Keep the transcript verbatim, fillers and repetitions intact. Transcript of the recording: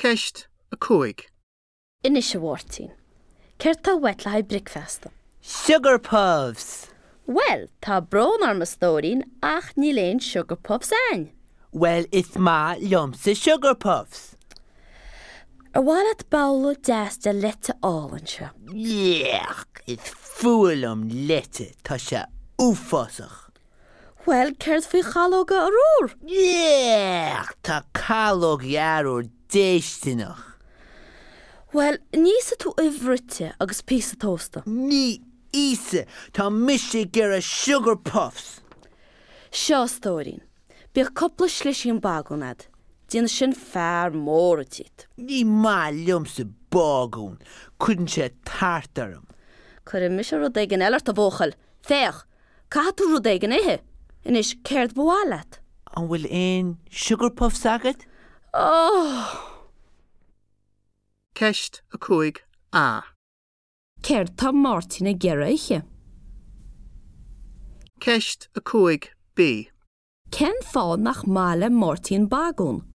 Ceist a cúig. Anois a Mháirtín. Céard tá uait le haghaidh bricfeasta? Sugar puffs! Well, tá brón orm a stóirín ach níl aon sugar puffs againn. Well is maith liomsa sugar puffs. Ar mhaith leat babhla deas de leite álainn seo. Yuck, is fuath liom leite tá sé uafásach. Well, céard faoi chalóga arbhair? Yuck, tá calógaí arbhair déistineach. Well, ní íosfaidh tú uibh bhruite agus píosa tósta. Ní íosfaidh tá mise ag iarraidh sugar puffs. Seo stóirín. Bíodh cúpla slisín bagún agat. Déanfaidh sin fear mór díot. Ní maith liomsa bagún, cuireann sé tart orm. Cuirfidh mise rud éigin eile ort a bhuachaill. Féach, caithfidh tú rud éigin a ithe. Anois céard ba mhaith leat? An bhfuil aon sugar puffs agat? Oh! Ceist a cúig A. Céard tá Máirtín ag iarraidh a ithe? Ceist a cúig B. Cén fáth nach maith le Máirtín bagún?